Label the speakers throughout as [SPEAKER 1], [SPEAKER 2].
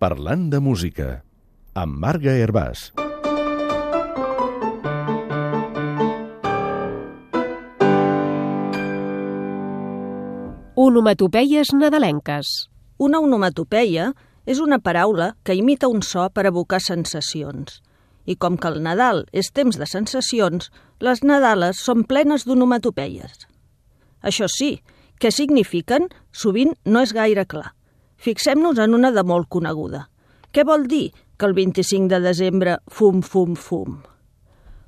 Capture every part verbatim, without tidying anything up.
[SPEAKER 1] Parlant de música, amb Marga Hervàs.
[SPEAKER 2] Onomatopeies nadalenques.
[SPEAKER 3] Una onomatopeia és una paraula que imita un so per evocar sensacions. I com que el Nadal és temps de sensacions, les Nadales són plenes d'onomatopeies. Això sí, què signifiquen? Sovint no és gaire clar. Fixem-nos en una de molt coneguda. Què vol dir que el vint-i-cinc de desembre fum, fum, fum?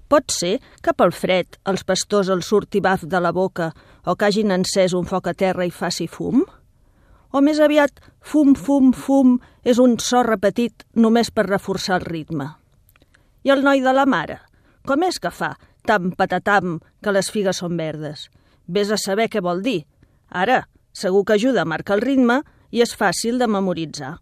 [SPEAKER 3] Pot ser que pel fred els pastors els surti baf de la boca o que hagin encès un foc a terra i faci fum? O més aviat, fum, fum, fum és un so repetit només per reforçar el ritme. I el noi de la mare? Com és que fa tam patatam que les figues són verdes? Vés a saber què vol dir. Ara, segur que ajuda a marcar el ritme i és fàcil de memoritzar.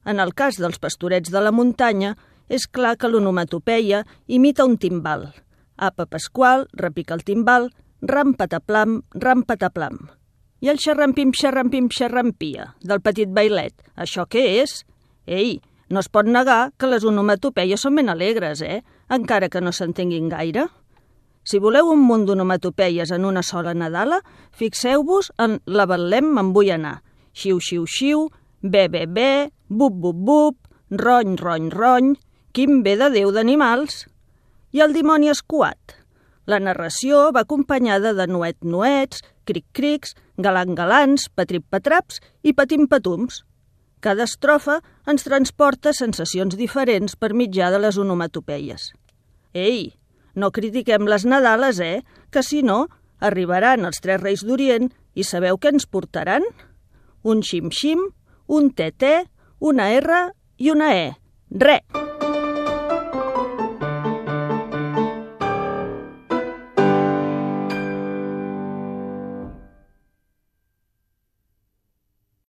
[SPEAKER 3] En el cas dels pastorets de la muntanya, és clar que l'onomatopeia imita un timbal. Apa Pasqual, repica el timbal, ram pataplam, ram pataplam. I el xerrampim, xerrampim, xerrampia, del petit bailet. Això què és? Ei, no es pot negar que les onomatopeies són ben alegres, eh? Encara que no s'entenguin gaire. Si voleu un munt d'onomatopeies en una sola Nadala, fixeu-vos en la Betlem me'n vull anar. Xiu, xiu, xiu, be, be, be, bup, bup, bup, rony, rony, rony, quin bé de Déu d'animals. I el dimoni escuat. La narració va acompanyada de nuet, nuets, cric, crics, galant, galants, patrip, patraps i patim, patums. Cada estrofa ens transporta sensacions diferents per mitjà de les onomatopeies. Ei, no critiquem les Nadales, eh? Que si no, arribaran els tres reis d'Orient i sabeu què ens portaran? Un xim-xim, un te-te, una erra i una e. Re!